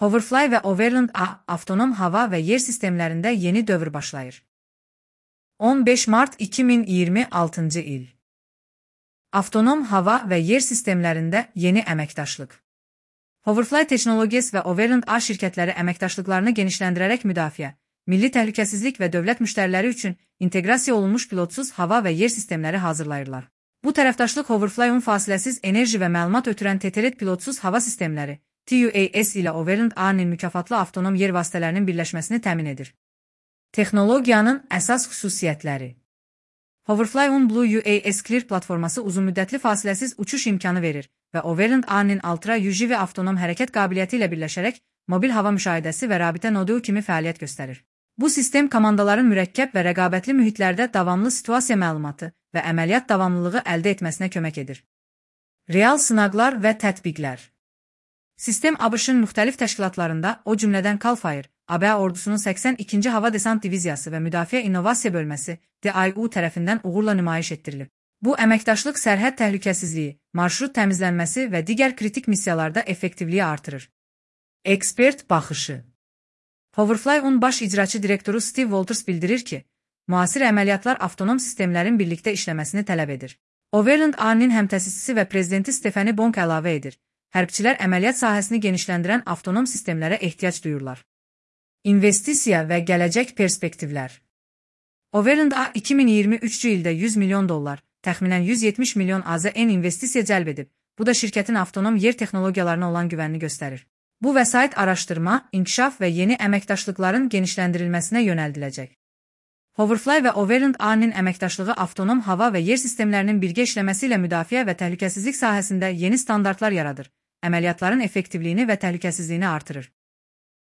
Hoverfly və Overland avtonom hava və yer sistemlərində yeni dövr başlayır. 15 mart 2026-cı il. Avtonom hava və yer sistemlərində yeni əməkdaşlıq. Hoverfly Technologies və Overland şirkətləri əməkdaşlıqlarını genişləndirərək müdafiə, milli təhlükəsizlik və dövlət müştəriləri üçün inteqrasiya olunmuş pilotsuz hava və yer sistemləri hazırlayırlar. Bu tərəfdaşlıq Hoverfly-un fasiləsiz enerji və məlumat ötürən TTRED pilotsuz hava sistemləri TUAS ilə Overland-nin mükafatlı avtonom yer vasitələrinin birləşməsini təmin edir. Texnologiyanın əsas xüsusiyyətləri. Hoverfly-un Blue UAS Clear platforması uzunmüddətli fasiləsiz uçuş imkanı verir və Overland-nin Ultra UGV avtonom hərəkət qabiliyyəti ilə birləşərək mobil hava müşahidəsi və rabitə nodu kimi fəaliyyət göstərir. Bu sistem komandaların mürəkkəb və rəqabətli mühitlərdə davamlı situasiya məlumatı və əməliyyat davamlılığı əldə etməsinə kömək edir. Real sınaqlar və tətbiqlər. Sistem ABŞ-ın müxtəlif təşkilatlarında, o cümlədən CAL FIRE, ABŞ ordusunun 82-ci Hava Desant Diviziyası və Müdafiə İnnovasiya Bölməsi DIU tərəfindən uğurla nümayiş etdirilib. Bu əməkdaşlıq sərhəd təhlükəsizliyi, marşrut təmizlənməsi və digər kritik missiyalarda effektivliyi artırır. Ekspert baxışı. Hoverfly-un baş icraçı direktoru Steve Walters bildirir ki, müasir əməliyyatlar avtonom sistemlərin birlikdə işləməsini tələb edir. Overland-nin həmtəsisçisi və prezidenti Stephanie Bonk əlavə edir. Hərbçilər əməliyyat sahəsini genişləndirən avtonom sistemlərə ehtiyac duyurlar. İnvestisiya və gələcək perspektivlər. Overland 2023-cü ildə $100 milyon, təxminən 170 milyon AZN investisiya cəlb edib. Bu da şirkətin avtonom yer texnologiyalarına olan güvənini göstərir. Bu vəsait araşdırma, inkişaf və yeni əməkdaşlıqların genişləndirilməsinə yönəldiləcək. Hoverfly və Overland-nin əməkdaşlığı avtonom hava və yer sistemlərinin birgə işləməsi ilə müdafiə və təhlükəsizlik sahəsində yeni standartlar yaradır, əməliyyatların effektivliyini və təhlükəsizliyini artırır.